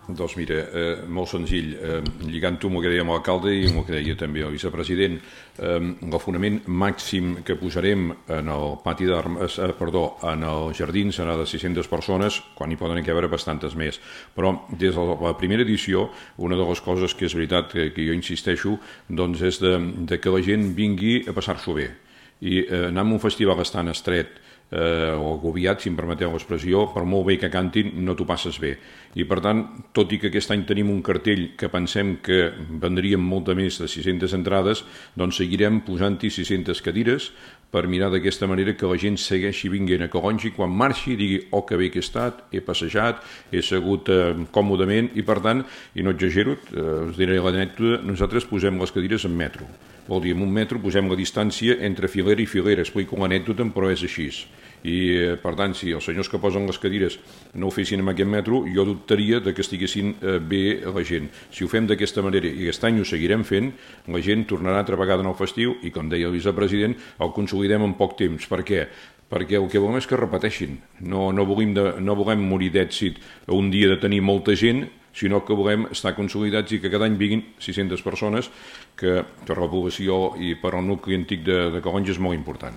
Doncs mira, molt senzill, lligant-ho amb el que deia l'alcalde i amb el que deia també el vicepresident, l'afonament màxim que posarem en el pati d'armes, en el jardí serà de 600 persones, quan hi poden caber bastantes més. Però des de la primera edició, una de les coses que és veritat que jo insisteixo, doncs és de que la gent vingui a passar-s'ho bé. I anar a un festival estan estret o agobiat, si em permeteu l'expressió, per molt bé que cantin, no t'ho passes bé. I per tant, tot i que aquest any tenim un cartell que pensem que vendríem molta més de 600 entrades, doncs seguirem posant-hi 600 cadires per mirar d'aquesta manera que la gent segueixi vinguent a Calonge i quan marxi digui oh que bé que he estat, he passejat, he segut còmodament i per tant, i no exagero, us diré l'anècdota, nosaltres posem les cadires en metro. Vol dir, en un metro posem la distància entre filera i filera, explico l'anècdota, però és així. I per tant, si els senyors que posen les cadires no ho fessin en aquest metro, jo dubtaria que estiguessin bé la gent. Si ho fem d'aquesta manera i aquest any ho seguirem fent, la gent tornarà altra vegada en el festiu i, com deia el vicepresident, el consolidem en poc temps. Per què? Perquè el que volem és que repeteixin. No volem morir d'èxit un dia de tenir molta gent, sinó que volem estar consolidats i que cada any vinguin 600 persones, que per la població i per al nucli antic de Calonge és molt important.